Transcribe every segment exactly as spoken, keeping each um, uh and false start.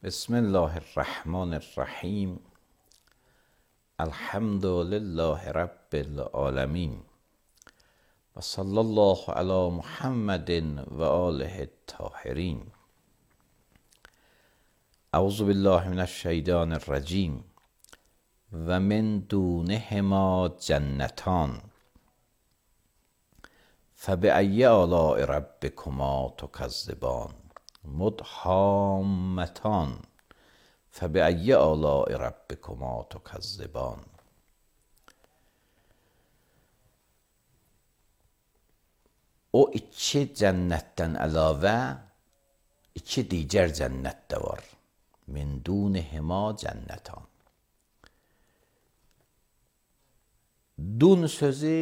بسم الله الرحمن الرحیم. الحمد لله رب العالمین و صلی الله علی محمد و آله الطاهرین. اعوذ بالله من الشیطان الرجیم. و من دونهما جنتان فبأی آلاء ربکما تکذبان مدهامتان فبأی آلاء ربکما تکذبان. O iki cənnətdən əlavə iki digər cənnət də var. Min dunihima cənnətan. Dun sözü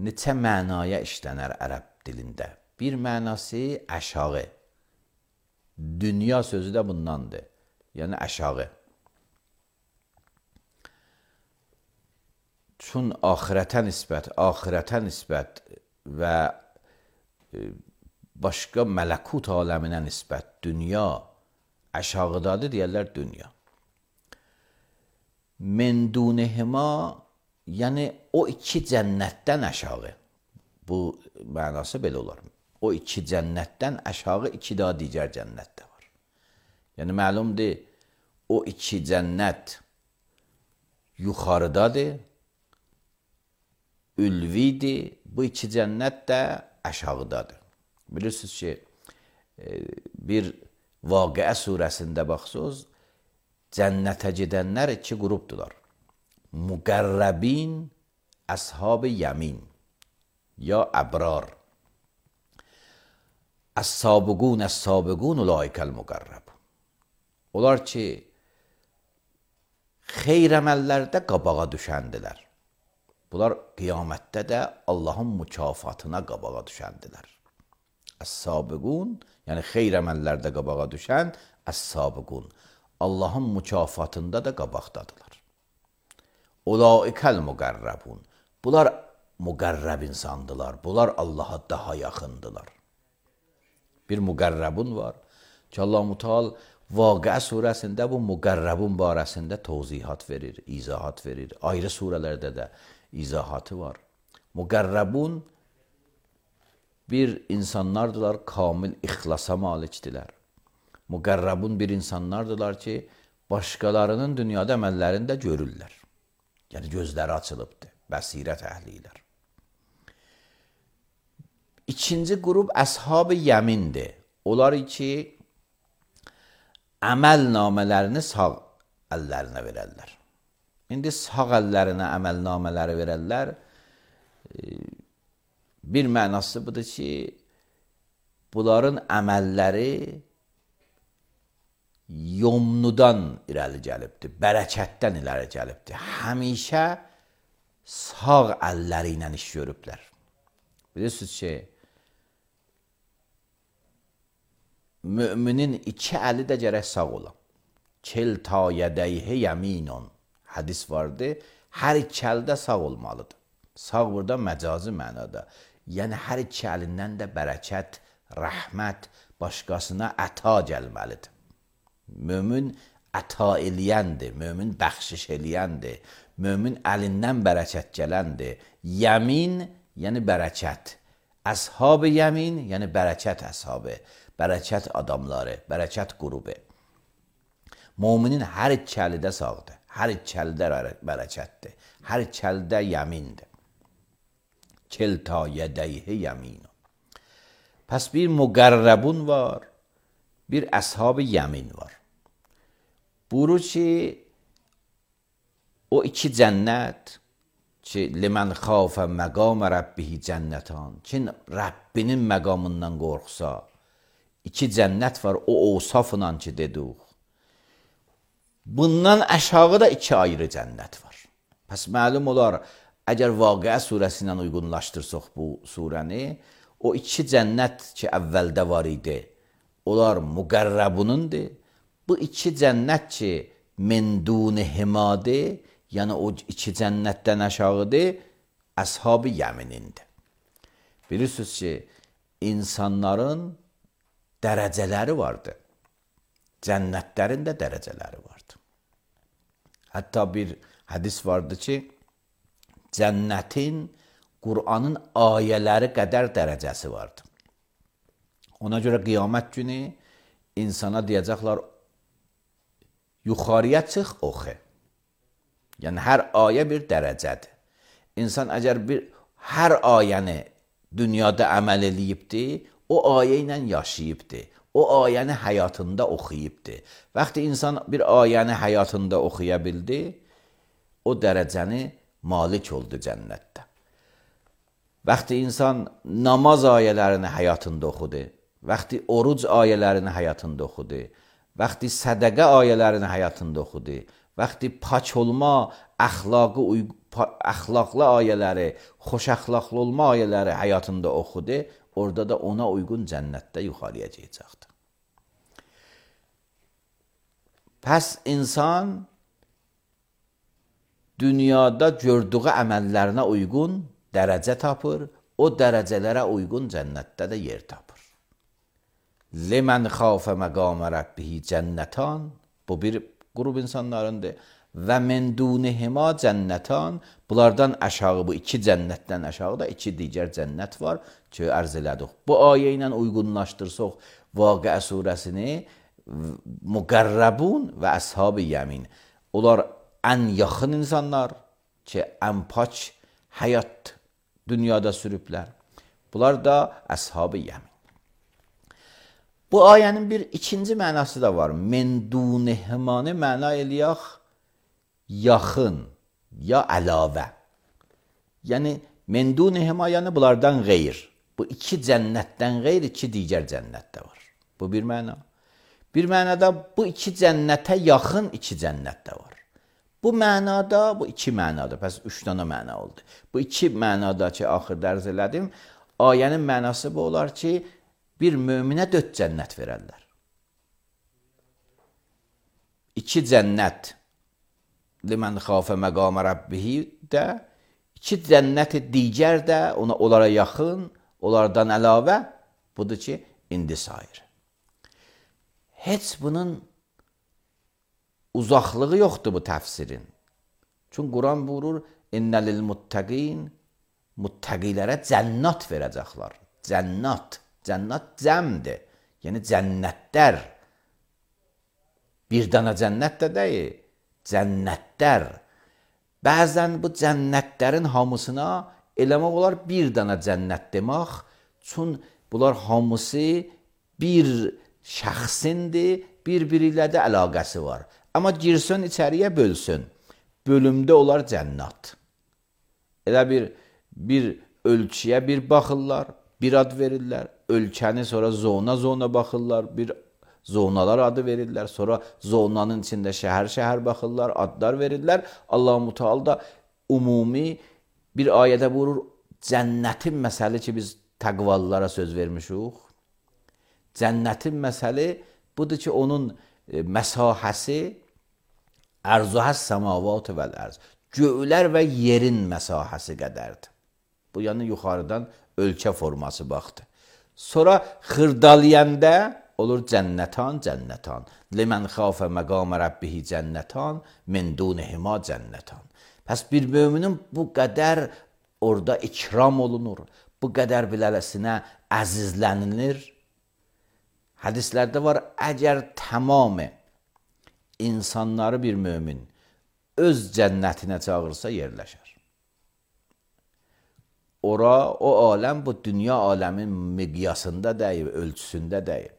neçə mənaya işlənər ərəb dilində. Bir mənası aşağı. Dünya sözü də bundandır. Yəni aşağı. Çün axirətə nisbət, axirətə nisbət və başqa mələkut aləminə nisbət dünya aşağıdadır deyərlər dünya. Min dunihima, yəni o iki cənnətdən aşağı. Bu mənası belə olar. O iki cənnətdən aşağı iki daha digər cənnət də var. Yəni məlumdur, o iki cənnət yuxarıdadır, ülvidir, bu iki cənnət də aşağıdadır. Bilirsiniz ki, bir Vaqiə surəsində baxsınız, cənnətə gedənlər iki qrupdular. Müqərrəbin, əshab-ı yəmin, ya əbrar. Əs-sabiqun, əs-sabiqun, ulaikəl müqərrəb. Onlar ki, xeyr əməllərdə qabağa düşəndilər. Bunlar qiyamətdə də Allahın mükafatına qabağa düşəndilər. Əs-sabiqun, yəni xeyr əməllərdə qabağa düşən əs-sabiqun. Allahın mükafatında da qabaqdadılar. Ulaikəl müqərrəbun. Bunlar müqərrəb insandılar. Bunlar Allaha daha yaxındılar. Bir müqərrəbun var ki, Allah-u Teala Vaqiə surəsində bu müqərrəbun barəsində tövzihat verir, izahat verir. Ayrı surələrdə də izahatı var. Müqərrəbun bir insanlardılar, kamil ixlasa malikdilər. Müqərrəbun bir insanlardılar ki, başqalarının dünyada əməllərini də görürlər. Yəni gözləri açılıbdır, bəsirət əhlilər. İkinci qrup əshab-ı yəmindir. Onlar ki, əməl namələrini sağ əllərinə verərlər. İndi sağ əllərinə əməl namələri verərlər. Bir mənası budur ki, bunların əməlləri yomnudan irəli gəlibdir, bərəkətdən irəli gəlibdir. Həmişə sağ əlləri ilə iş görüblər. Bilirsiniz ki, müminin iki əli də gərək sağ ola. Kilta yədəyhə yəminun. Hədis vardı. Hər iki əldə sağ olmalıdır. Sağ burada məcazi mənada. Yəni hər iki əlindən də bərəkət, rəhmət, başqasına əta gəlməlidir. Mömin əta eləyəndir, mömin bəxşiş eləyəndir, mömin əlindən bərəkət gələndir. Yəmin, yəni bərəkət. Əshab-ı yəmin, yəni bərəkət əshabı, bərəkət adamları, bərəkət qrubu. Müminin hər iki əli də sağdır, hər iki əli də bərəkətdir, hər iki əli də yəmindir. Kilta yədəyhə yəminun. Pəs bir müqərrəbun var, bir əshab-ı yəmin var. Buyurur ki, o iki cənnət ki, limən xafə məqam rəbbihi cənnətan, kim Rəbbinin məqamından qorxsa, iki cənnət var o ovsafla ki dedik. Bundan aşağı da iki ayrı cənnət var. Pəs məlum olar, əgər Vaqiə surəsi ilə uyğunlaşdırsaq bu surəni, o iki cənnət ki, əvvəldə var idi, onlar müqərrəbunundur. Bu iki cənnət ki, min dunihimâdır, yəni o iki cənnətdən aşağıdır, əshab-ı yəminindir. Bilirsiniz ki, insanların dərəcələri vardır. Cənnətlərin də dərəcələri vardır. Hətta bir hədis vardı ki, cənnətin Qur'anın ayələri qədər dərəcəsi vardır. Ona görə qiyamət günü insana deyəcəklər, yuxarıya çıx, oxu. Yəni, hər ayə bir dərəcədir. İnsan əgər bir, hər ayəni dünyada əməl eləyibdir, o ayə ilə yaşayıbdır. O ayəni həyatında oxuyubdur. Vaxtı insan bir ayəni həyatında oxuya bildi, o dərəcəni malik oldu cənnətdə. Vaxtı insan namaz ayələrini həyatında oxudu, vaxtı oruc ayələrini həyatında oxudu, vaxtı sədəqə ayələrini həyatında oxudu, vaxtı pak olma, əxlaqı, əxlaqlı ayələri, xoş əxlaqlı olma ayələri həyatında oxudu, orada da ona uyğun cənnətdə yuxarıya gələcəkdir. Pəs insan dünyada gördüyü əməllərinə uyğun dərəcə tapır, o dərəcələrə uyğun cənnətdə də yer tapır. Limən xafə məqamə rəbbihi cənnətan, bu bir qrup insanlarındır. Və min dunihima cənnətan, bunlardan aşağı, bu iki cənnətdən aşağı da iki digər cənnət var ki, ərz elədik. Bu ayə ilə uyğunlaşdırsaq Vaqiə surəsini, müqərrəbun və əshab-ı yəmin. Onlar ən yaxın insanlar ki, ən pak həyat dünyada sürüblər. Bunlar da əshab-ı yəmin. Bu ayənin bir ikinci mənası da var. Min dunihimanı məna eləyək, yaxın ya əlavə. Yəni, min dunihima, yəni bunlardan qeyr. Bu iki cənnətdən qeyr, iki digər cənnətdə var. Bu bir məna. Bir mənada bu iki cənnətə yaxın iki cənnətdə var. Bu mənada, bu iki mənada, pəs üç dana məna oldu. Bu iki mənada ki, axırda ərz elədim, ayənin mənası bu olar ki, bir möminə dörd cənnət verərlər. İki cənnət, limən xafə məqamə rəbbihi də, iki cənnəti digər də, ona, onlara yaxın, onlardan əlavə, budur ki, indi sayır. Heç bunun uzaqlığı yoxdur bu təfsirin. Çünki Quran buyurur, innəlil muttəqin, muttəqilərə cənnat verəcəklər. Cənnat, cənnat cəmdir. Yəni cənnətlər. Bir dana cənnət də deyil, cənnətlər. Bəzən bu cənnətlərin hamısına eləmək olar bir dana cənnət demək, çünki bunlar hamısı bir şəxsindir, bir-biri ilə də əlaqəsi var. Amma girsin içəriyə bölsün. Bölümdə olar cənnat. Elə bir, bir ölçüyə bir baxırlar, bir ad verirlər. Ölkəni sonra zona-zona baxırlar, bir zonalar adı verirlər. Sonra zonanın içində şəhər-şəhər baxırlar, adlar verirlər. Allah-u Teala da umumi bir ayədə buyurur, cənnətin məsəli ki, biz təqvallara söz vermişik. Cənnətin məsəli budur ki, onun məsahəsi ərzuhəs səmavat vəl ərz. Göylər və yerin məsahəsi qədərdir. Bu, yəni yuxarıdan ölkə forması baxdı. Sonra xırdaliyəndə olur cənnətan, cənnətan. Limən xafə məqamə rəbbihi cənnətan, min dunihima cənnətan. Pəs bir müminin bu qədər orada ikram olunur, bu qədər bilələsinə əzizlənilir. Hədislərdə var, əgər tamamı insanları bir mömin öz cənnətinə çağırsa yerləşər. Ora, o aləm bu dünya aləmin miqyasında deyil, ölçüsündə deyil.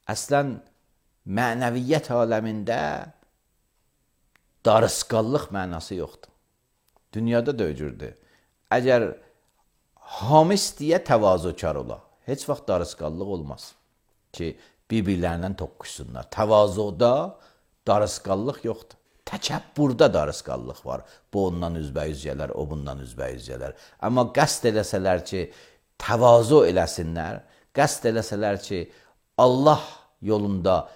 Əslən, mənəviyyət aləmində darısqallıq mənası yoxdur. Dünyada da öcürdür. Əgər hamis deyə təvazökar ola, heç vaxt darısqallıq olmaz ki, bir-birlərindən toqquşsunlar. Təvazuda darısqallıq yoxdur. Təkəbbürdə darısqallıq var. Bu ondan üzbəyüz gələr, o bundan üzbəyüz gələr. Amma qəsd eləsələr ki, təvazu eləsinlər, qəsd eləsələr ki, Allah yolunda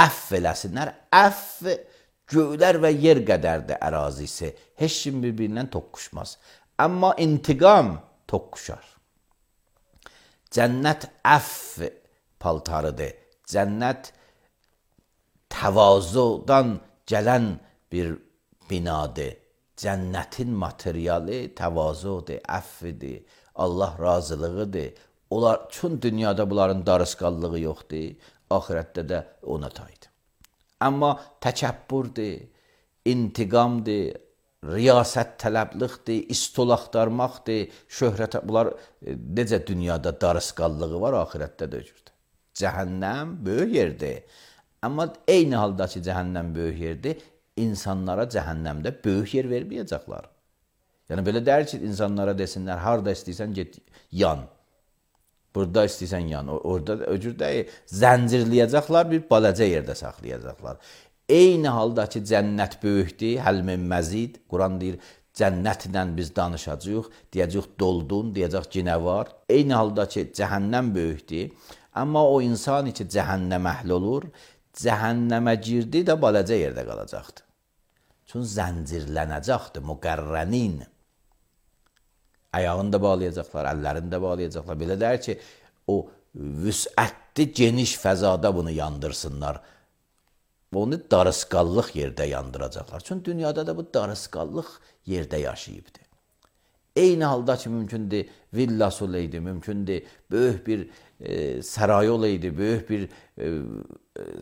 əff eləsinlər, əff göylər və yer qədərdir ərazisi. Heç kim bir-birindən toqquşmaz. Amma intiqam toqquşar. Cənnət əff paltarıdır. Cənnət təvazudan gələn bir binadır. Cənnətin materialı təvazudur, əffidir, Allah razılığıdır. Onlar, çün dünyada bunların darısqallığı yoxdur, axirətdə də ona taydır. Amma təkəbbürdür, intiqamdır, riyasət tələbliqdir, istol axtarmaqdır, şöhrət, bunlar necə dünyada darısqallığı var, axirətdə də öcürdür. Cəhənnəm böyük yerdir. Amma eyni halda ki, cəhənnəm böyük yerdir, insanlara cəhənnəmdə böyük yer verməyəcəklər. Yəni, belə deyir ki, insanlara desinlər, harada istəyirsən, get, yan. Burada istəyirsən yan, orada öcür deyil, zəncirləyəcəklər, bir balaca yerdə saxlayacaqlar. Eyni halda ki, cənnət böyükdür, həlmin məzid, Quran deyir, cənnətlə biz danışacaq, deyəcək doldun, deyəcək ki, nə var. Eyni halda ki, cəhənnəm böyükdür, amma o insan ki, cəhənnəm əhl olur, cəhənnəmə girdi də balaca yerdə qalacaqdır. Çünki zəncirlənəcəkdir, müqərrənin. Ayağını da bağlayacaqlar, əllərini də bağlayacaqlar. Belə deyir ki, o vüsətli, geniş fəzada bunu yandırsınlar. Onu darısqallıq yerdə yandıracaqlar. Çünki dünyada da bu darısqallıq yerdə yaşayıbdır. Eyni halda ki, mümkündür villası olaydı, mümkündür böyük bir e, saray olaydı, böyük bir e,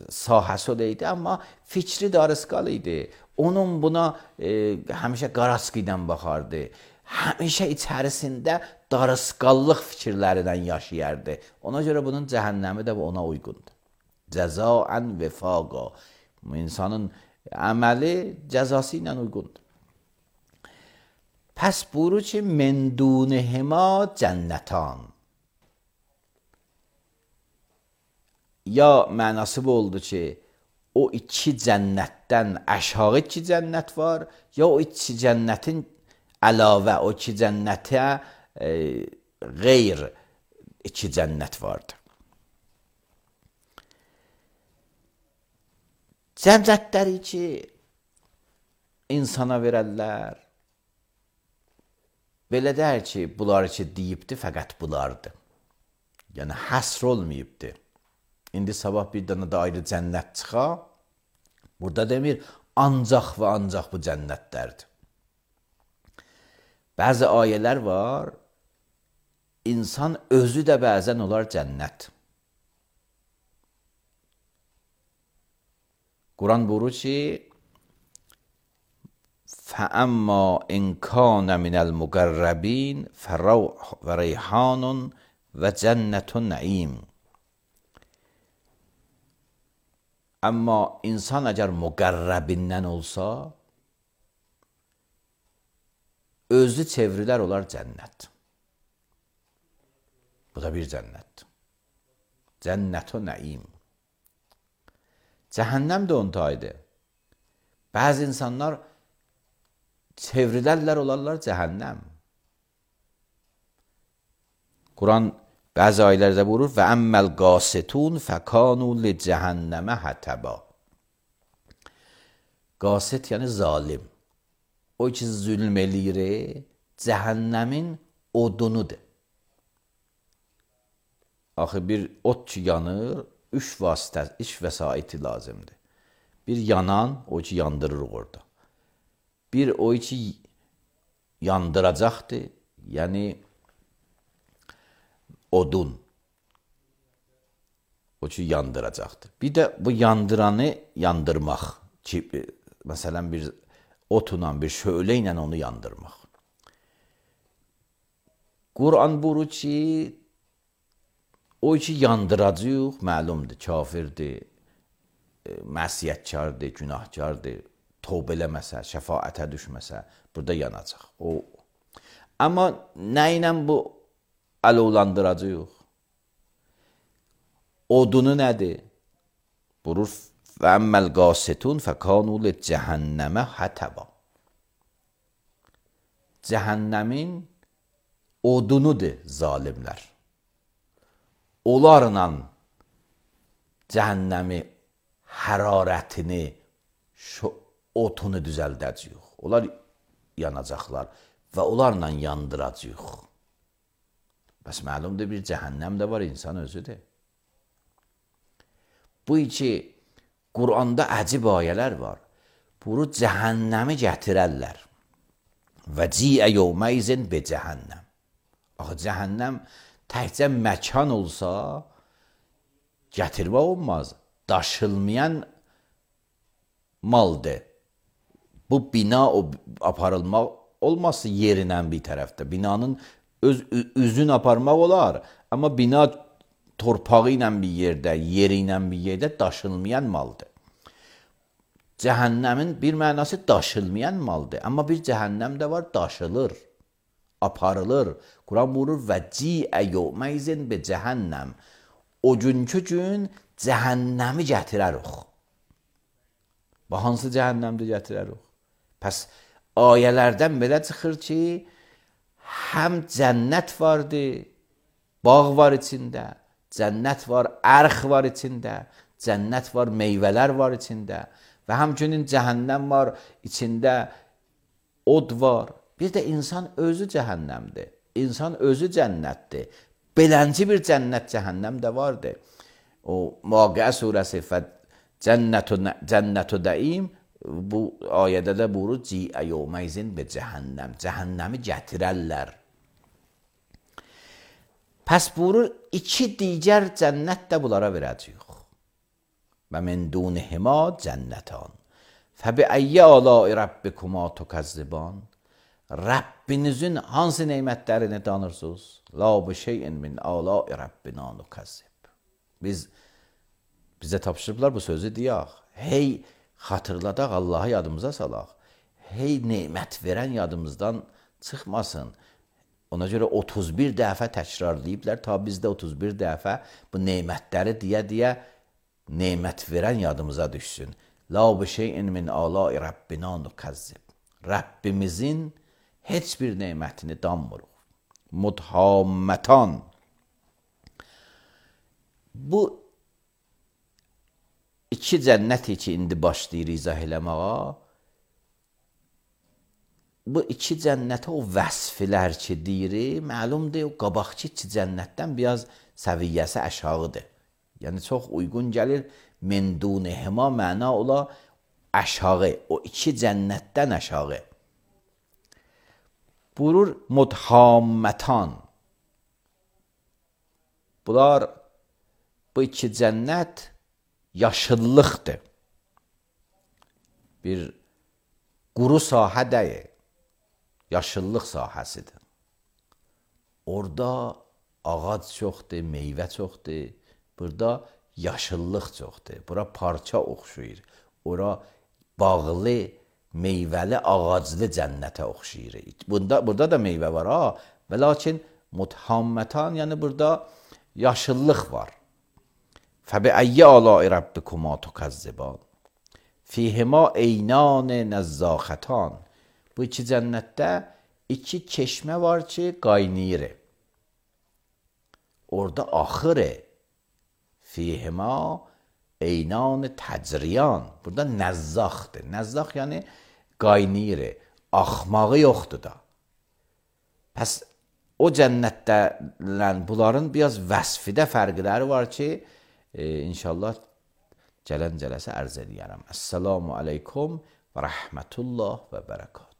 sahəsi olaydı, amma fikri darısqal idi. Onun buna e, həmişə qaraskı ilə baxardı. Həmişə içərisində darısqallıq fikirlərindən yaşayardı. Ona görə bunun cəhənnəmi də ona uyğundur. Cəzaən vefaqa. İnsanın əməli cəzası ilə uyğundur. Pəs buyurur ki, mendunehima cənnətan. Ya mənası bu oldu ki, o iki cənnətdən aşağı iki cənnət var, ya o iki cənnətin əlavə, o iki cənnətə e, qeyr iki cənnət vardır. Cənnətləri ki, insana verərlər, belə deyir ki, bunlar ki, deyibdir, fəqət bunlardır. Yəni, həsr olmayıbdır. İndi sabah bir dənə də ayrı cənnət çıxa, burada demir, ancaq və ancaq bu cənnətlərdir. Bəzi ayələr var, insan özü də bəzən olar cənnət. Quran buyurur ki, فَأَمَّا إِنْ كَانَ مِنَ الْمُقَرَّبِينَ فَرَوْحٌ وَرَيْحَانٌ وَجَنَّةُ النَّعِيمِ. Amma insan əgər müqərrəbindən olsa, özü çevrilər olar cənnət. Bu da bir cənnət. Cənnət-u nəim. Cəhənnəm də onun tayıdır. Bəzi insanlar çevrilərlər olarlar cəhənnəm. Quran bəzi ayələrdə buyurur və əmməl qasitun fəkanu li cəhənnəmə hətəba. Qasit yəni zalim. O ki zülm eləyir, cəhənnəmin odunudur. Axı bir ot ki yanır, üç vasitə, iş vəsaiti lazımdır. Bir yanan, o ki yandırırıq orada. Bir o ki yandıracaqdır, yəni odun. O ki yandıracaqdır. Bir də bu yandıranı yandırmaq. Ki, məsələn bir otla, bir şölə ilə onu yandırmaq. Quran buyurur ki, o ki yandıracaq, məlumdur, kafirdir, məsiyətkardır, günahkardır, tövbə eləməsə, şəfaətə düşməsə, burada yanacaq. O. Amma nə ilə bu alovlandıracaq? Odunu nədir? Buyurur, və əmməl qasitun fəkanu li cəhənnəmə hətəba. Cəhənnəmin odunudur zalimlər. Onlarla cəhənnəmi hərarətini, otunu düzəldəcəyik. Onlar yanacaqlar və onlarla yandıracaq. Bəs məlumdur bir cəhənnəm də var, insan özüdür. Bu iki Quranda əcib ayələr var. Bunu cəhənnəmi gətirərlər. Və ciə yevməyzin be cəhənnəm. Axı cəhənnəm təkcə məkan olsa gətirmək olmaz. Daşılmayan maldır. Bu bina o aparılmaq olmazsa yerindən bir tərəfdə. Binanın öz üzünü aparmaq olar. Amma bina torpağı ilə bir yerdə, yeri ilə bir yerdə daşılmayan maldır. Cəhənnəmin bir mənası daşılmayan maldır. Amma bir cəhənnəm də var, daşılır, aparılır. Quran buyurur, və ciə yevməyzin be cəhənnəm. O günkü gün cəhənnəmi gətirərik. Və hansı cəhənnəmdə gətirərik? Pəs ayələrdən belə çıxır ki, həm cənnət vardır, bağ var içində, cənnət var, ərx var içində, cənnət var, meyvələr var içində və həmçinin cəhənnəm var, içində od var. Bir də insan özü cəhənnəmdir, insan özü cənnətdir. Belənci bir cənnət, cəhənnəm də vardır. O Vaqiə surəsi cənnətü dəim, bu ayədə də buyurur, ciə yevməyzin be cəhənnəm, cəhənnəmi gətirərlər. Pəs buyurur, iki digər cənnət də bunlara verəcəyik. Və min dunihima cənnətan. Fəbi əyyə alai rabbikuma tukəzziban. Rəbbinizin hansı neymətlərini tanırsınız? La bi şeyin min alai rabbina nukəzzib. Biz, bizə tapşırıblar bu sözü deyək. Hey, xatırladaq, Allahı yadımıza salaq. Hey, neymət verən yadımızdan çıxmasın. Ona görə otuz bir dəfə təkrarlayıblar, ta bizdə otuz bir dəfə bu neymətləri deyə-deyə neymət verən yadımıza düşsün. La bi şeyin min alai rabbina nukəzzib. Rəbbimizin heç bir neymətini danmırıq. Mudhammətan. Bu iki cənnəti ki, indi başlayır izah eləməyə, bu iki cənnətə o vəsflər ki deyir, məlumdur, o qabaqçı iki cənnətdən biraz səviyyəsi aşağıdır. Yəni, çox uyğun gəlir, min dunihima məna ola aşağı, o iki cənnətdən aşağı. Buyurur, mudhammətan. Bunlar, bu iki cənnət yaşıllıqdır. Bir quru sahə deyil. Yaşıllıq sahəsidir. Orada ağac çoxdur, meyvə çoxdur. Burada yaşıllıq çoxdur. Bura parça oxşuyur. Ora bağlı, meyvəli, ağaclı cənnətə oxşuyur. Bunda, burada da meyvə var, ha. Və lakin mudhammətan, yəni burada yaşıllıq var. Fəbi əyyə alai rabbikuma tukəzziban. Fihima eynan nəzzəxətan. Bu iki cənnətdə iki çeşmə var ki, qaynayır. Orada axır. Fihima eynan təcriyan. Burada nəzzaxdır. Nəzzax yəni qaynayır. Axmağı yoxdur da. Pəs o cənnətdə bunların biraz vəsfidə fərqləri var ki, e, inşallah gələn cələsə ərz edərəm. Əssalamu aleykum və rəhmətullah və bərəkatuhu.